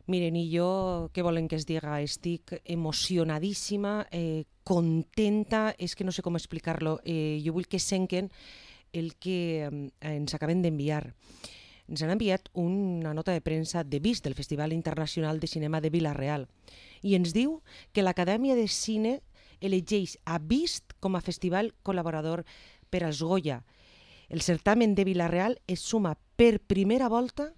Miren, i jo, què volen que es diga? Estic emocionadíssima, contenta, és que no sé com explicar-lo. Jo vull que senquen el que ens acaben d'enviar. Ens han enviat una nota de premsa de VIST, del Festival Internacional de Cinema de Vila-real, i ens diu que l'Acadèmia de Cine elegeix a VIST com a festival col·laborador per als Goya. El certamen de Vila-real es suma per primera volta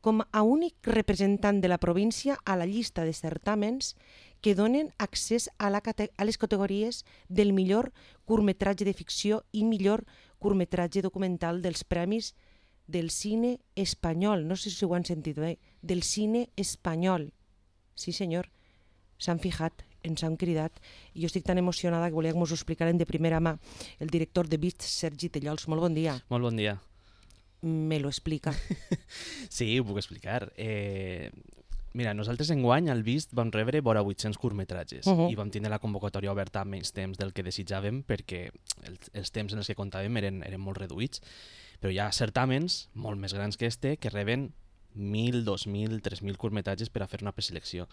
com a únic representant de la província a la llista de certàmens que donen accés a les categories del millor curtmetratge de ficció i millor curtmetratge documental dels premis del cine espanyol. No sé si ho han sentit bé, del cine espanyol. Sí, senyor, s'han fijat, ens han cridat, i jo estic tan emocionada que volia que mos ho explicaren de primera mà el director de VIST, Sergi Tellols. Molt bon dia. Molt bon dia. Me lo explica. Sí, ho puc explicar. Mira, nosaltres enguany al VIST vam rebre vora 800 curtmetratges i vam tindre la convocatòria oberta amb menys temps del que desitjàvem perquè els temps en els que comptàvem eren molt reduïts, però hi ha certàmens molt més grans que este que reben 1.000, 2.000, 3.000 curtmetratges per a fer una preselecció.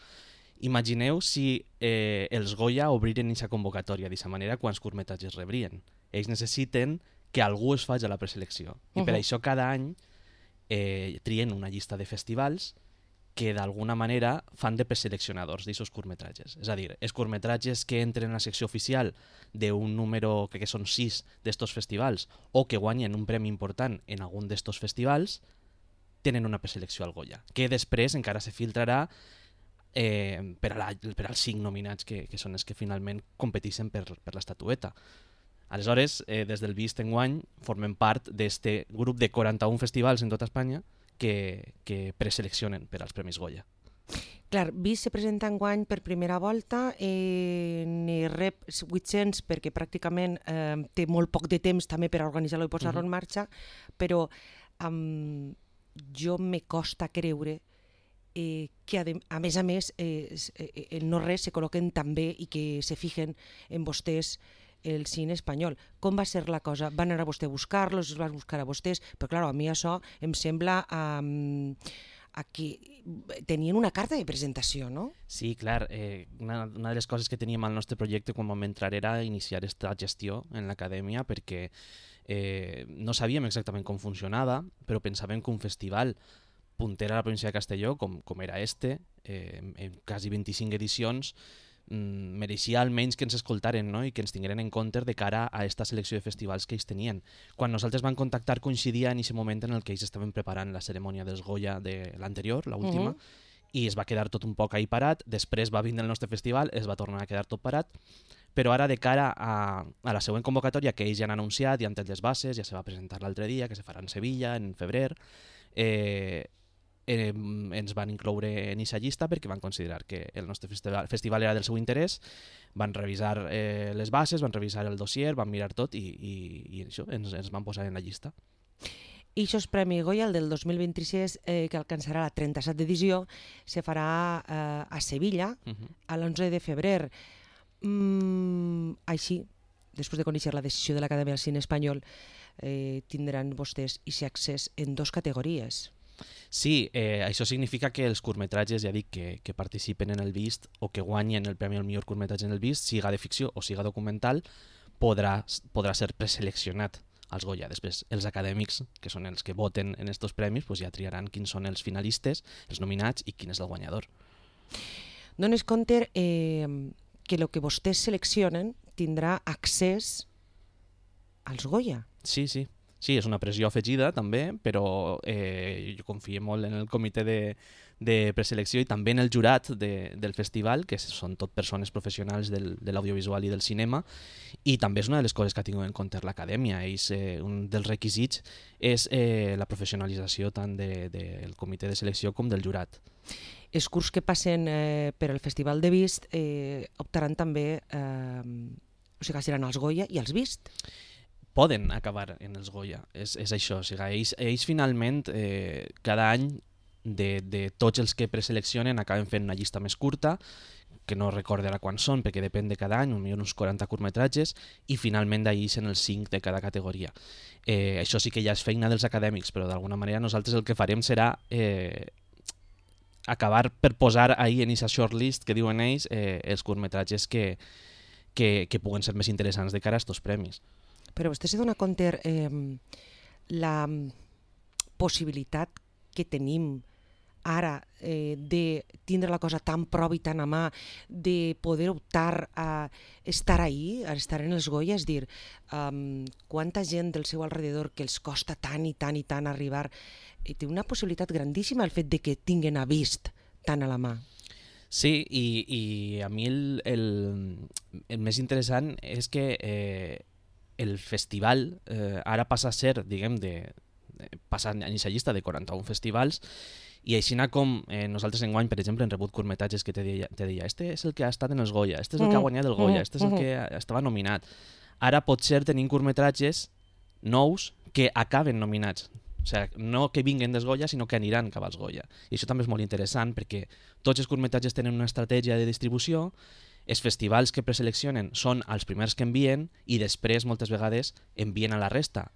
Imagineu si els Goya obriren aquesta convocatòria d'aquesta manera, quants curtmetratges rebrien. Ells necessiten que algú es faci a la preselecció. I per això cada any trien una llista de festivals que d'alguna manera fan de preseleccionadors d'aquests curtmetratges. És a dir, els curtmetratges que entren a la secció oficial d'un número, crec que són 6 d'estos festivals, o que guanyen un premi important en algun d'estos festivals, tenen una preselecció al Goya, que després encara se filtrarà per als 5 nominats que són els que finalment competeixen per l'estatueta. Aleshores, des del VIST enguany formem part d'aquest grup de 41 festivals en tota Espanya que preseleccionen per als Premis Goya. Clar, VIST se presenta enguany per primera volta, ne rep 800 perquè pràcticament té molt poc de temps també per organitzar-lo i posar-lo en marxa, però jo me costa creure que a més el no res se col·loquen també i que se fijen en vostès el cine espanyol. Com va ser la cosa? Van anar a vostè a buscar-los, els van buscar a vostès? Però clar, a mi això em sembla que tenien una carta de presentació, no? Sí, clar. Una de les coses que teníem al nostre projecte quan vam entrar era iniciar aquesta gestió en l'acadèmia perquè no sabíem exactament com funcionava, però pensàvem que un festival punter a la província de Castelló, com era en quasi 25 edicions, mereixia almenys que ens escoltaren, no? I que ens tingueren en compte de cara a aquesta selecció de festivals que ells tenien. Quan nosaltres vam contactar coincidia en aquest moment en el que ells estaven preparant la cerimònia dels Goya de l'anterior, l'última, i es va quedar tot un poc ahí parat. Després va vindre el nostre festival, es va tornar a quedar tot parat, però ara de cara a la següent convocatòria que ells ja han anunciat, ja han tret les bases, ja se va presentar l'altre dia, que se farà en Sevilla, en febrer, ens van incloure en aquesta llista perquè van considerar que el nostre festival era del seu interès, van revisar les bases, van revisar el dossier, van mirar tot i això, ens van posar en la llista. I això és Premi Goya, el del 2026, que alcançarà la 37 edició, se farà a Sevilla a l'11 de febrer. Així, després de conèixer la decisió de l'Acadèmia del Cine Espanyol, tindran vostès aquest accés en 2 categories. Sí, això significa que els curtmetratges, ja dic, que participen en el VIST o que guanyen el premi al millor curtmetratge en el VIST, siga de ficció o siga documental, podrà ser preseleccionat als Goya. Després, els acadèmics, que són els que voten en aquests premis, ja triaran quins són els finalistes, els nominats i quin és el guanyador. Dones compte que el que vostès seleccionen tindrà accés als Goya. Sí, sí. Sí, és una pressió afegida també, però jo confio molt en el comitè de preselecció i també en el jurat del festival, que són tot persones professionals de l'audiovisual i del cinema, i també és una de les coses que ha tingut en compte l'acadèmia. Un dels requisits és la professionalització tant del comitè de selecció com del jurat. Els curts que passen per al Festival de VIST optaran també, o sigui, seran els Goya i els VIST? Poden acabar en els Goya, és això. O sigui, ells finalment, cada any, de tots els que preseleccionen, acaben fent una llista més curta, que no recordo ara quan són, perquè depèn de cada any, uns 40 curtmetratges, i finalment d'ahir són els 5 de cada categoria. Això sí que ja és feina dels acadèmics, però d'alguna manera nosaltres el que farem serà acabar per posar ahir en aquesta shortlist que diuen ells els curtmetratges que puguen ser més interessants de cara a estos premis. Però vostè se dona compte la possibilitat que tenim ara de tindre la cosa tan prop i tan a mà, de poder optar a estar ahí, a estar en els Goya, és dir, quanta gent del seu alrededor que els costa tant i tant i tant arribar, té una possibilitat grandíssima el fet de que tinguen a vist tant a la mà. Sí, i a mi el més interessant és que el festival ara passa a ser, diguem, passa en aquesta llista de 41 festivals, i així com nosaltres enguany, per exemple, hem rebut curtmetratges que te deia este és el que ha estat en els Goya, este és el que ha guanyat el Goya, este és el que estava nominat. Ara potser tenim curtmetratges nous que acaben nominats. O sigui, no que vinguen dels Goya, sinó que aniran cap als Goya. I això també és molt interessant perquè tots els curtmetratges tenen una estratègia de distribució, els festivals que preseleccionen són els primers que envien i després moltes vegades envien a la resta.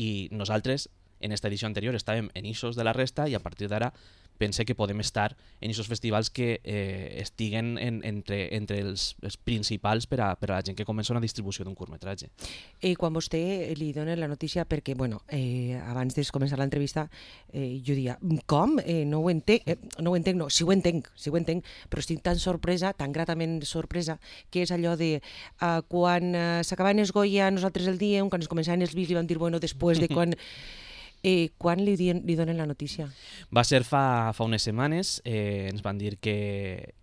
I nosaltres en esta edició anterior estàvem en ixos de la resta i a partir d'ara pense que podem estar en aquests festivals que estiguen entre els principals per a la gent que comença una distribució d'un curtmetratge. Quan vostè li dona la notícia, perquè abans de començar l'entrevista jo dia, com? No ho entenc, sí ho entenc, però estic tan sorpresa, tan gratament sorpresa, que és allò de quan s'acabaven els Goya nosaltres el diem, quan es començaven els Vis li vam dir, bueno, després de quan... Quan li donen la notícia? Va ser fa unes setmanes, ens van dir que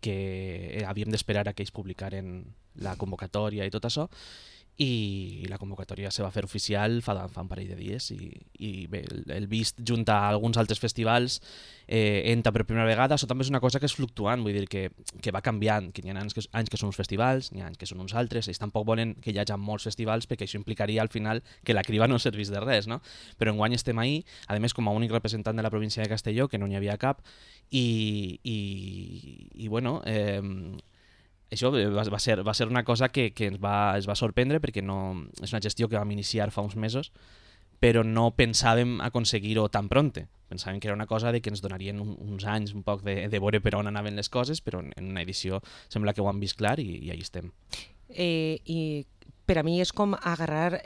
havíem d'esperar a que ells publicaren la convocatòria i tot això, i la convocatòria se va fer oficial fa un parell de dies i bé, el Vist junta a alguns altres festivals entra per primera vegada. Això també és una cosa que és fluctuant, vull dir que va canviant, que hi ha anys que són uns festivals, hi ha anys que són uns altres, ells tampoc volen que hi hagi molts festivals perquè això implicaria al final que la criba no servís de res, no? Però enguany estem ahí, a més com a únic representant de la província de Castelló, que no n'hi havia cap, i bueno, això va ser una cosa que ens va sorprendre perquè no, és una gestió que vam iniciar fa uns mesos, però no pensàvem aconseguir-ho tan pronte. Pensàvem que era una cosa de que ens donarien uns anys un poc de veure per on anaven les coses, però en una edició sembla que ho han vist clar i allà estem. I per a mi és com agarrar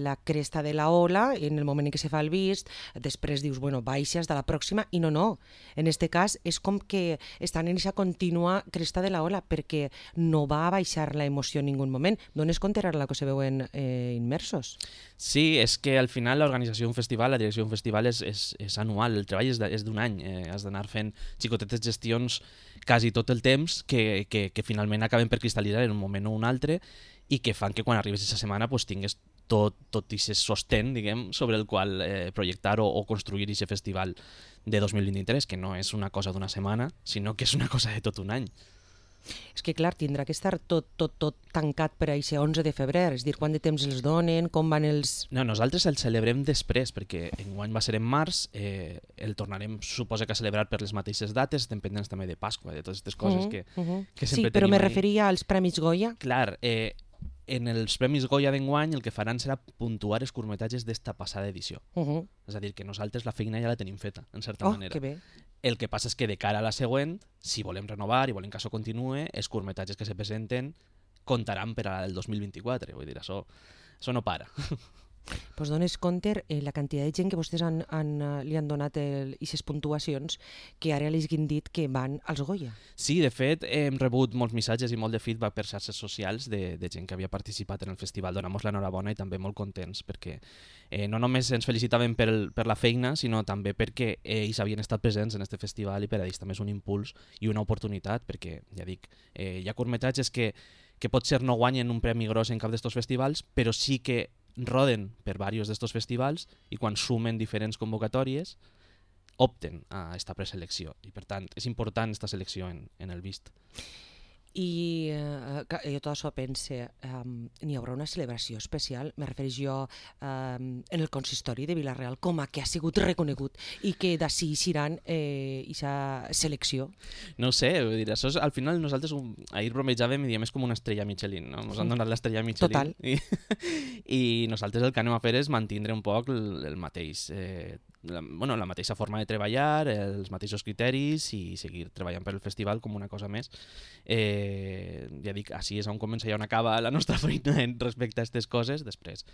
la cresta de la ola en el moment en què se fa el Vist, després dius, bueno, baixes de la pròxima, i no. En este cas és com que estan en aquesta contínua cresta de la ola, perquè no va baixar la emoció en ningú moment. D'on es compte ara la que se veuen immersos? Sí, és que al final l'organització d'un festival, la direcció d'un festival és anual, el treball és d'un any, has d'anar fent xicotetes gestions quasi tot el temps que finalment acaben per cristal·litzar en un moment o un altre i que fan que quan arribes aquesta setmana pues, tingues tot aquest sostén, diguem, sobre el qual projectar o construir aquest festival de 2023, que no és una cosa d'una setmana, sinó que és una cosa de tot un any. És que, clar, tindrà que estar tot tancat per a aquest 11 de febrer, és dir, quant de temps els donen, com van els... No, nosaltres el celebrem després, perquè enguany va ser en març, el tornarem, suposa que a celebrar per les mateixes dates, estem pendents també de Pasqua, de totes aquestes coses que sempre tenim. Sí, però me referia als Premis Goya. Clar, en els Premis Goya d'enguany el que faran serà puntuar els curtmetratges d'esta passada edició. És a dir, que nosaltres la feina ja la tenim feta, en certa manera. Que bé. El que passa és que de cara a la següent, si volem renovar i volem que això continuï, els curtmetratges que se presenten comptaran per al 2024. Vull dir, això no para. Pues dones compte la quantitat de gent que vostès li han donat aquestes puntuacions que ara li han dit que van als Goya. Sí, de fet, hem rebut molts missatges i molt de feedback per xarxes socials de gent que havia participat en el festival. Donem l'enhorabona i també molt contents perquè no només ens felicitaven per la feina, sinó també perquè ells havien estat presents en aquest festival i per a ells també és un impuls i una oportunitat perquè, ja dic, hi ha curtmetratges que potser no guanyen un premi gros en cap d'estos festivals, però sí que roden per diversos d'estos festivals i quan sumen diferents convocatòries opten a esta preselecció i per tant és important esta selecció en el Vist. I jo tot això pense, n'hi haurà una celebració especial, me refereix jo en el consistori de Vila-real, com a que ha sigut reconegut i que d'ací iran aquesta selecció? No ho sé, vull dir, això és, al final nosaltres ahir bromejàvem i diem és com una estrella Michelin, no? Ens han donat l'estrella Michelin. Total. I nosaltres el que anem a fer és mantindre un poc el mateix la mateixa forma de treballar, els mateixos criteris i seguir treballant per el festival com una cosa més. Ja dic, així és on comença i on acaba la nostra feina respecte a aquestes coses. Després,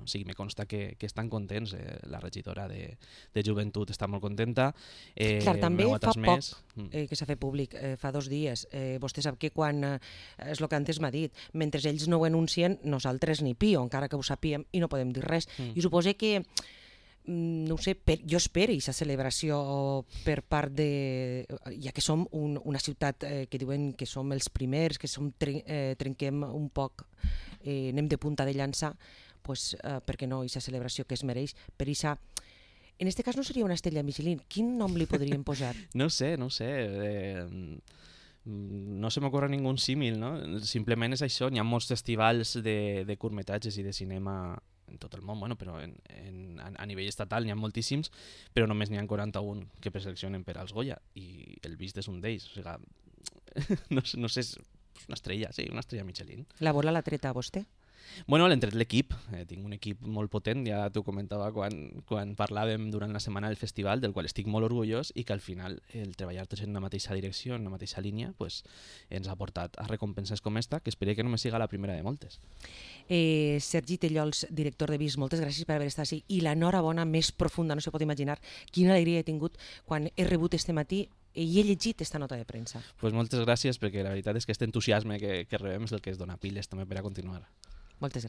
sí, me consta que estan contents. La regidora de Joventut està molt contenta. Clar, també fa poc que s'ha fet públic, fa 2 dies. Vostè sap que quan, és el que antes m'ha dit, mentre ells no ho anuncien, nosaltres ni pio, encara que ho sapíem i no podem dir res. I suposo que no ho sé, jo espero aquesta celebració per part de... Ja que som una ciutat que diuen que som els primers, que trenquem un poc, anem de punta de llança, doncs, per què no aquesta celebració que es mereix per aquesta... En aquest cas no seria una estrella Michelin. Quin nom li podríem posar? No sé. No se m'ocorre ningú símil, no? Simplement és això, hi ha molts festivals de curtmetratges i de cinema en tot el món, però a nivell estatal n'hi ha moltíssims, però només n'hi ha 41 que preseleccionen per als Goya, i el Vist és un d'ells. O sigui, no sé, és una estrella, sí, una estrella Michelin. La bola l'ha treta a vostè? L'hem tret l'equip, tinc un equip molt potent, ja t'ho comentava quan parlàvem durant la setmana del festival, del qual estic molt orgullós, i que al final el treballar tots en la mateixa direcció, en la mateixa línia, ens ha portat a recompenses com esta, que espero que només siga la primera de moltes. Sergi Tellols, director de Vist, moltes gràcies per haver estat així, i l'enhorabona més profunda, no se pot imaginar quina alegria he tingut quan he rebut este matí i he llegit esta nota de premsa. Moltes gràcies, perquè la veritat és que aquest entusiasme que rebem és el que es dona piles també per a continuar. Moltes gràcies.